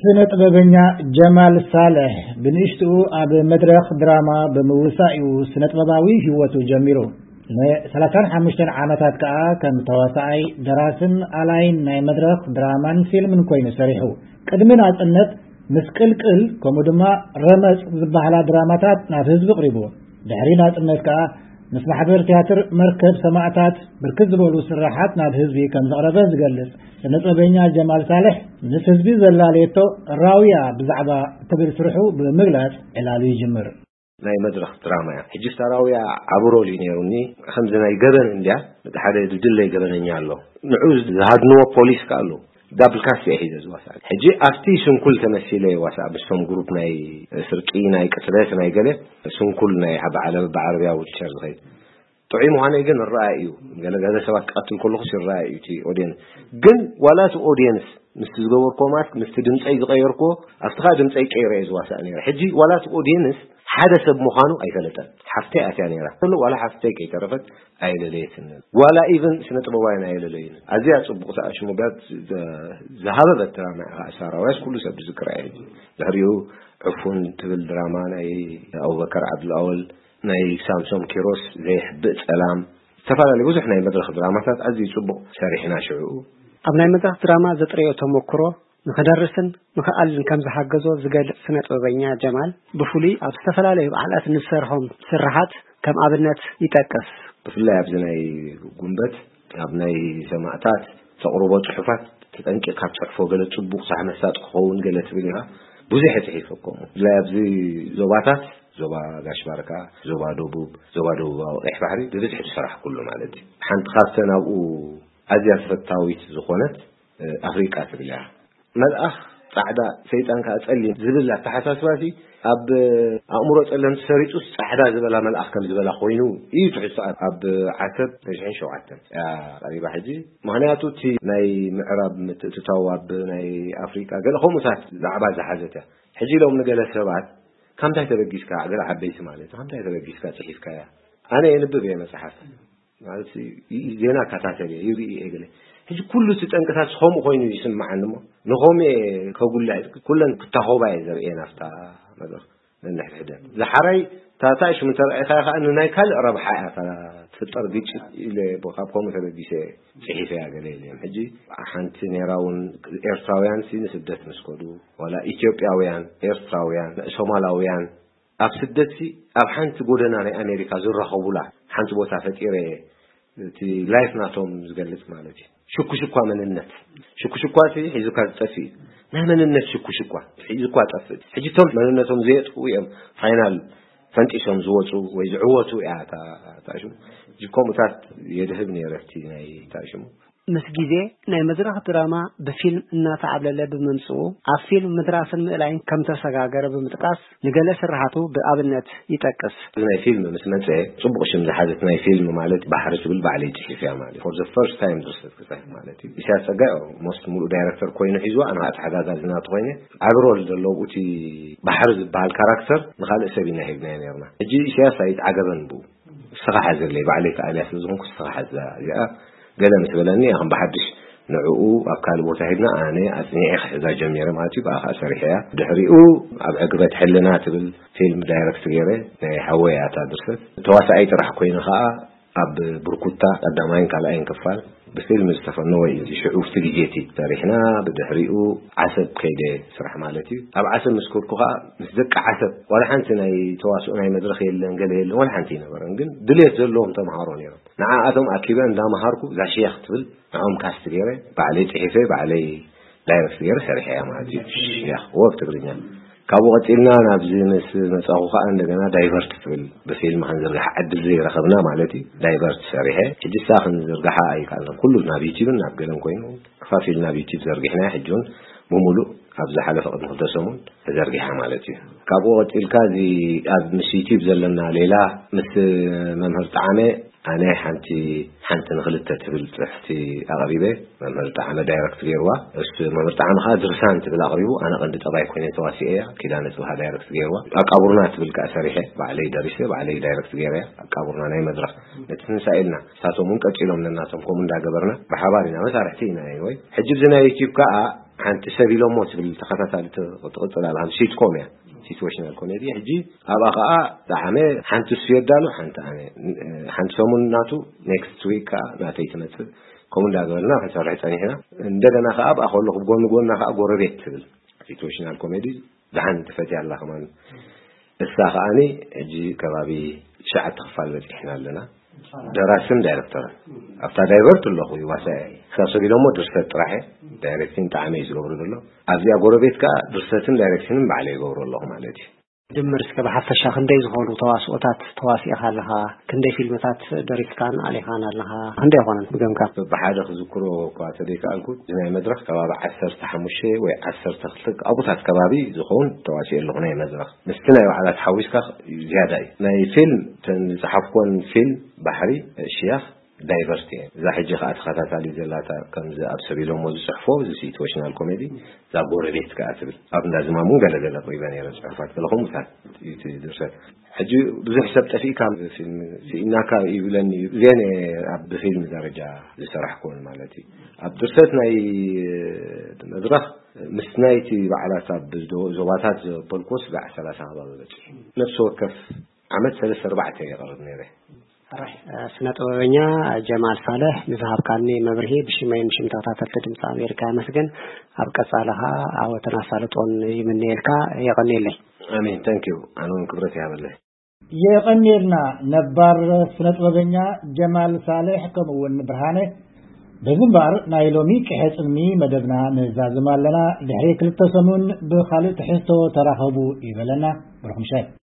ስነ ጥበበኛ ጀማል ሳልሕ ብንእሽትኡ ኣብ መድረኽ ድራማ ብምውሳእ እዩ ስነ ጥበባዊ ህይወቱ ጀሚሩ። ን35 ዓመታት ከኣ ከም ተዋሳኣይ፣ ደራስን ኣላይን ናይ መድረኽ ድራማን ፊልምን ኮይኑ ሰሪሑ። ቅድሚ ናጽነት ምስቅልቅል ከምኡ ድማ ረመጽ ዝበሃላ ድራማታት ናብ ህዝቢ ቅሪቡ። ድሕሪ ናጽነት ከኣ ምስ ማሕበር ትያትር መርከብ ሰማእታት ብርክት ዝበሉ ስራሓት ናብ ህዝቢ ከም ዘቕረበ ዝገልጽ ስነ ጥበበኛ ጀማል ሳልሕ፣ ምስ ህዝቢ ዘላለየቶ ራውያ ብዛዕባ እትብል ስርሑ ብምግላጽ ዕላሉ ይጅምር። ናይ መድረኽ ድራማ እያ። ሕጂ ስታ ራውያ ዓቢ ሮል እዩ ነይሩኒ። ከምዚ ናይ ገበን እንድያ፣ ሓደ ድድለይ ገበነኛ ኣሎ። ንዑ ዝሃድንዎ ፖሊስ ከኣ ኣሎ። ዳብል ካስት እየ ሒዘ ዝዋሳእ። ሕጂ ኣብቲ ስንኩል ተመሲለ ይዋሳእ፣ ምስቶም ግሩፕ ናይ ስርቂ፣ ናይ ቅትለት፣ ናይ ገለ ስንኩል ናይ ዓቢ ዓለብ ብዓረብያ ዊልቸር ዝኸይድ። ጥዑይ ምዃነይ ግን ይረኣይ እዩ። ገለ ገለ ሰባት ክቐትል ከለኹስ ይረኣይ እዩ እቲ ኦድየንስ። ግን ዋላ እቲ ኦድየንስ ምስቲ ዝገበርኩዎ ማስክ፣ ምስቲ ድምፀይ ዝቐየርኩዎ፣ ኣብቲ ኸኣ ድምፀይ ቀይረ እየ ዝዋሳእ ነይረ። ሕጂ ዋላ እቲ ኦድየንስ ሓደ ሰብ ምዃኑ ኣይፈለጠን። ሓፍተይ ኣትያ ነይራ። ዋላ ሓፍተይ ከይተረፈት ኣይለለየትንን። ዋላ ኢቨን ስነ ጥበባውያን ኣይለለዩንን። ኣዝያ ጽቡቕ ኣሽሙጋት ዝሃበበት ድራማ እያ። ከኣ ሳራውያስ ኩሉ ሰብ ዝዝክራ እያ። ሕጂ ድሕሪኡ ዕፉን ትብል ድራማ ናይ ኣቡበከር ዓብዱልኣወል፣ ናይ ሳምሶም ኪሮስ ዘይሕብእ ጸላም፣ ዝተፈላለዩ ብዙሕ ናይ መድረኽ ድራማታት ኣዝዩ ጽቡቕ ሰሪሕና ሽዑ። ኣብ ናይ መድረኽ ድራማ ዘጥረዮ ተመክሮ ንኽደርስን ንኽኣልን ከም ዝሓገዞ ዝገልጽ ስነ ጥበበኛ ጀማል፣ ብፍሉይ ኣብ ዝተፈላለዩ በዓላት ንዝሰርሖም ስርሓት ከም ኣብነት ይጠቅስ። ብፍላይ ኣብዚ ናይ ጉንበት፣ ኣብ ናይ ሰማእታት ተቕርቦ ጽሑፋት፣ ተጠንቂቕካ ትጽሕፎ፣ ገለ ጽቡቕ ሳሕ መሳጢ ክኸውን ገለ ትብል ኢኻ። ብዙሕ እየ ጽሒፈ ከምኡ። ብፍላይ ኣብዚ ዞባታት፣ ዞባ ጋሽ ባርካ፣ ዞባ ደቡብ፣ ዞባ ደቡባዊ ቀይሕ ባሕሪ ብብዝሒ ዝሰራሕኩሉ ማለት እዩ። ሓንቲ ካብተን ኣብኡ ኣዝያ ተፈታዊት ዝኾነት፣ እ፣ ኣፍሪቃ ትብል እያ። መልኣኽ ጻዕዳ፣ ሰይጣን ከኣ ጸሊም ዝብል ኣተሓሳስባ፣ እዚ ኣብ ኣእምሮ ጸለምቲ ሰሪጹስ ጻዕዳ ዝበላ መልኣኽ ከም ዝበላ ኮይኑ እዩ ትሕዝቶ። ኣብ፣ ኣብ ዓሰብ ተሽሕን ሸውዓተን እያ ቀሪባ። ሕጂ ምኽንያቱ እቲ ናይ ምዕራብ ምትእትታው ኣብ ናይ ኣፍሪቃ ገለ ከምኡታት ዛዕባ ዝሓዘት እያ። ሕጂ ኢሎም ንገለ ሰባት፣ "ካብ እንታይ ተበጊስካ?" ገለ ዓበይቲ ማለት፣ "ካብ እንታይ ተበጊስካ ጽሒፍካያ?" ኣነ የንብብ እየ መጽሓፍ። ማለት ይ-፣ ዜና እከታተል እየ፣ ይርኢ እየ ገለ። ሕጂ ኩሉ እቲ ጠንቅታት ከምኡ ኮይኑ ይስምዓኒ እሞ፣ ንኸምኡ እየ ከጉልሕ፣ ኩለን ክታኾባ እየ ዘርእየን ኣብታ መድረኽ ነንሕድሕደን። ዝሓራይ እታ፣ እታ ሽሙ እንተረኣይካያ ከኣ ንናይ ካልእ ረብሓ እያ እታ ትፍጠር ግጭት ኢለ እየ ካብ ከምኡ ተበጊሰ እየ ጽሒፈያ ገለ ኢለ እየ። ሕጂ ሓንቲ ነይራ እውን ኤርትራውያን ሲ ንስደት ምስ ከዱ፣ ዋላ ኢትዮጵያውያን፣ ኤርትራውያን፣ ሶማላውያን፣ ኣብ ስደትሲ ኣብ ሓንቲ ጎደና ናይ ኣሜሪካ ዝራኸቡላ ሓንቲ ቦታ ፈጢረ እየ፣ እቲ ላይፍ ናቶም ዝገልጽ ማለት እዩ። ሽኩሽኳ መንነት፣ ሽኩሽኳ እቲ ሒዙካ ዝጠፍእ እዩ። ናይ መንነት ሽኩሽኳ ሒዙካ ጠፍእ። ሕጂ እቶም መንነቶም ዘየጥፍኡ እዮም ፋይናል ፈንጢሶም ዝወፁ ወይ ዝዕወቱ እያ እታ፣ እታ ሽሙ። ሕጂ ከምኡታት የድህብ ነይረ እቲ ናይ እታ ሽሙ። ምስ ግዜ ናይ መድረኽ ድራማ ብፊልም እናተዓብለለ ብምምጽኡ፣ ኣብ ፊልም ምድራስን ምእላይን ከም ተሰጋገረ ብምጥቃስ፣ ንገለ ስርሓቱ ብኣብነት ይጠቅስ። እዚ ናይ ፊልም ምስ መጸ፣ ጽቡቕ ሽም ዝሓዘት ናይ ፊልም ማለት ባሕሪ ትብል ባዕለይ ጽሒፈያ ማለት እዩ። For the first time ድርሰት ክጽሕፍ ማለት እዩ። ኢሳያስ ጸጋይ ኦልሞስት ሙሉእ ዳይረክተር ኮይኑ ሒዝዋ፣ ኣነ ተሓጋጋዚ ናቱ ኮይነ፣ ዓቢ ሮል ዘለዎ እቲ ባሕሪ ዝበሃል ካራክተር ንኻልእ ሰብ ኢና ሂብናዮ ነርና። ሕጂ ኢሳያስ ኣይተዓገበን ብኡ። ንስኻ ሓዘለይ፣ ባዕለይ ከኣልያ ስለ ዝኾንኩ ንስኻ ሓዛ። እዚኣ ገለ ምስ በለኒ፣ እያ ከም ብሓድሽ ንዕኡ ኣብ ካልእ ቦታ ሂብና፣ ኣነ ኣጽኒዐ ክሕዛ ጀሚረ ማለት እዩ። ብኣ ከኣ ሰሪሐያ። ድሕሪኡ ኣብ ዕግበት ሕልና ትብል ፊልም ዳይረክት ገይረ፣ ናይ ሓወይ እያ እታ ድርሰት። ተዋሳኣይ ጥራሕ ኮይነ ከኣ ኣብ ብርኩታ ቀዳማይን ካልኣይን ክፋል ብፊልም ዝተፈነወ እዩ። ሽዑ ኣብቲ ግዜ እቲ ሰሪሕና፣ ብድሕሪኡ ዓሰብ ከይደ ስራሕ ማለት እዩ። ኣብ ዓሰብ ምስ ከድኩ ከኣ ምስ ደቂ ዓሰብ ዋላ ሓንቲ ናይ ተዋስኦ ናይ መድረኽ የለን፣ ገለ የለን፣ ዋላ ሓንቲ ኣይነበረን። ግን ድሌት ዘለዎም ተምሃሮ ነይሮም። ንዓኣቶም ኣኪበ እንዳምሃርኩ እዛ ሽያኽ ትብል ንዕኦም ካስት ገይረ፣ ባዕለይ ጽሒፈ፣ ባዕለይ ዳይረክት ገይረ ሰሪሐያ ማለት እዩ። ሽያኽ ወብ ትግርኛ። ካብኡ ቀጺልና ናብዚ ምስ መጻኹ ከኣ እንደገና ዳይቨርት ትብል ብፊልም ክንዝርግሓ ዕድል ዘይረኸብና ማለት እዩ። ዳይቨርት ሰሪሐ። ሕጂ እሳ ክንዝርግሓ ኣይከኣልናን። ኩሉ ናብ ዩቲብን ናብ ገለን ኮይኑ ከፋፊልና ኣብ ዩቲብ ዘርጊሕናያ። ሕጂ እውን ብምሉእ ኣብ ዝሓለፈ ቅድሚ ክልተ ሰሙን ተዘርጊሓ ማለት እዩ። ካብኡ ቀጺልካ እዚ ኣብ ምስ ዩቲብ ዘለና ሌላ ምስ መምህር ጣዕመ ኣነ ሓንቲ፣ ሓንቲ ንኽልተ ትብል ጽሕፍቲ ኣቕሪበ፣ መምህር ጣዕመ ዳይረክት ገይርዋ። እሱ መምህር ጣዕመ ከኣ ድርሳን ትብል ኣቕሪቡ፣ ኣነ ቀንዲ ጠባይ ኮይነ ተዋሲኤያ፣ ኪዳነ ጽብሃ ዳይረክት ገይርዋ። ኣቃቡርና ትብል ከኣ ሰሪሐ፣ ባዕለይ ደሪሰ፣ ባዕለይ ዳይረክት ገይረያ። ኣቃቡርና ናይ መድረኽ ነቲ ትንሳኤ ኢልና፣ ንሳቶም እውን ቀጺሎም ነናቶም ከምኡ እንዳገበርና ብሓባር ኢና፣ መሳርሕቲ ኢና። ኤኒወይ፣ ሕጂ እዚ ናይ ዩቲብ ከኣ ሓንቲ ሰብ ኢሎሞ ትብል ተኸታታሊ ትቕጽል ኣላ። ሲትኮም እያ፣ ሲትዌሽናል ኮሜዲ። ሕጂ ኣብኣ ኸኣ ጠዓመ ሓንቲ እሱ የዳሉ፣ ሓንቲ ኣነ፣ ሓንቲ ሰሙን ናቱ፣ ኔክስት ዊክ ከኣ ናተይ ትመጽእ። ከምኡ እንዳገበልና ክንሰርሕ ጸኒሕና። እንደገና ከኣ ኣብኣ ከለኹ ብጎኒ ጎና ከኣ ጎረቤት ትብል ሲትዌሽናል ኮሜዲ ደሓን ትፈትያ ኣላ ከማን። እሳ ከኣኒ ሕጂ ከባቢ ትሽዓተ ክፋል በጺሕና ኣለና። ደራስን ዳይሬክተርን ኣብታ ዳይቨርት ኣለኹ ይዋሳ። ክሳብ ሰብ ኢሎሞ ድርሰት ጥራሕ እየ። ዳይሬክቲንግ ጣዕመ እዩ ዝገብሩ ዘሎ። ኣብዚኣ ጎረቤት ከኣ ድርሰትን ዳይሬክቲንን ባዕለ ይገብሩ ኣለኹ ማለት እዩ። ድምር እስከ ብሓፈሻ ክንደይ ዝኾኑ ተዋስኦታት ተዋሲእኻ ኣለኻ? ክንደይ ፊልምታት ደሪስካን ኣሊኻን ኣለኻ? ክንደይ ይኾነን ብገምጋም? ብሓደ ክዝክሮ እኳ ተደይከኣልኩ፣ እዚ ናይ መድረኽ ከባቢ ዓሰርተ ሓሙሽተ ወይ ዓሰርተ ክልተ ኣብኡታት ከባቢ ዝኸውን ተዋሲኦ ኣለኹ ናይ መድረኽ። ምስቲ ናይ ባዕላት ሓዊስካ ዝያዳ እዩ። ናይ ፊልም፣ ተን ዝጸሓፍኮን ፊልም ባሕሪ ሽያኽ ዳይቨርት እየ። እዛ ሕጂ ከኣ ተኸታታሊ ዘላታ ከምዚ ኣብ ሰብ ኢሎሞ ዝጽሕፎ፣ እዚ ሲትዌሽናል ኮሜዲ፣ እዛ ጎረቤት ከኣ ትብል። ኣብ እንዳ ዝማም እውን ገለ ገለ ኣቕሪበ ነይረ ጽሑፋት፣ ገለ ከምኡታት እዩ እቲ ድርሰት። ሕጂ ብዙሕ ሰብ ጠፊእካ ፊልም ስኢናካ ይብለኒ እዩ። እዚአን እየ ኣብ ብፊልም ደረጃ ዝሰራሕኩወን ማለት እዩ። ኣብ ድርሰት ናይ መድረኽ ምስ ናይቲ ባዕላት ኣብ ዞባታት ዘበልኩዎ ስጋዕ ሰላሳ ከባቢ በጺሑ። ነፍሲ ወከፍ ዓመት ሰለስተ ኣርባዕተ እየ የቕርብ ነይረ። ሕራይ፣ እ፣ ስነ ጥበበኛ ጀማል ሳልሕ ንዝሃብካኒ መብርሂ ብሽመይን ብሽም ተኸታተልቲ ድምፂ ኣሜሪካ የመስግን። ኣብ ቀጻሊ ኸኣ ዓወትን ኣሳልጦን ይምነየልካ። የቐንየለይ። ኣሜን። ታንክ ዩ። ኣነ እውን ክብረት ይሃበለይ። የቐንየልና። ነባር ስነ ጥበበኛ ጀማል ሳልሕ ከምኡ እውን ብርሃነ። በዚ እምበኣር ናይ ሎሚ ቅሐ ጽልሚ መደብና ንዛዝም ኣለና። ድሕሪ ክልተ ሰሙን ብኻልእ ትሕዝቶ ተራኸቡ ይበለና። ብሩኽ ምሸት።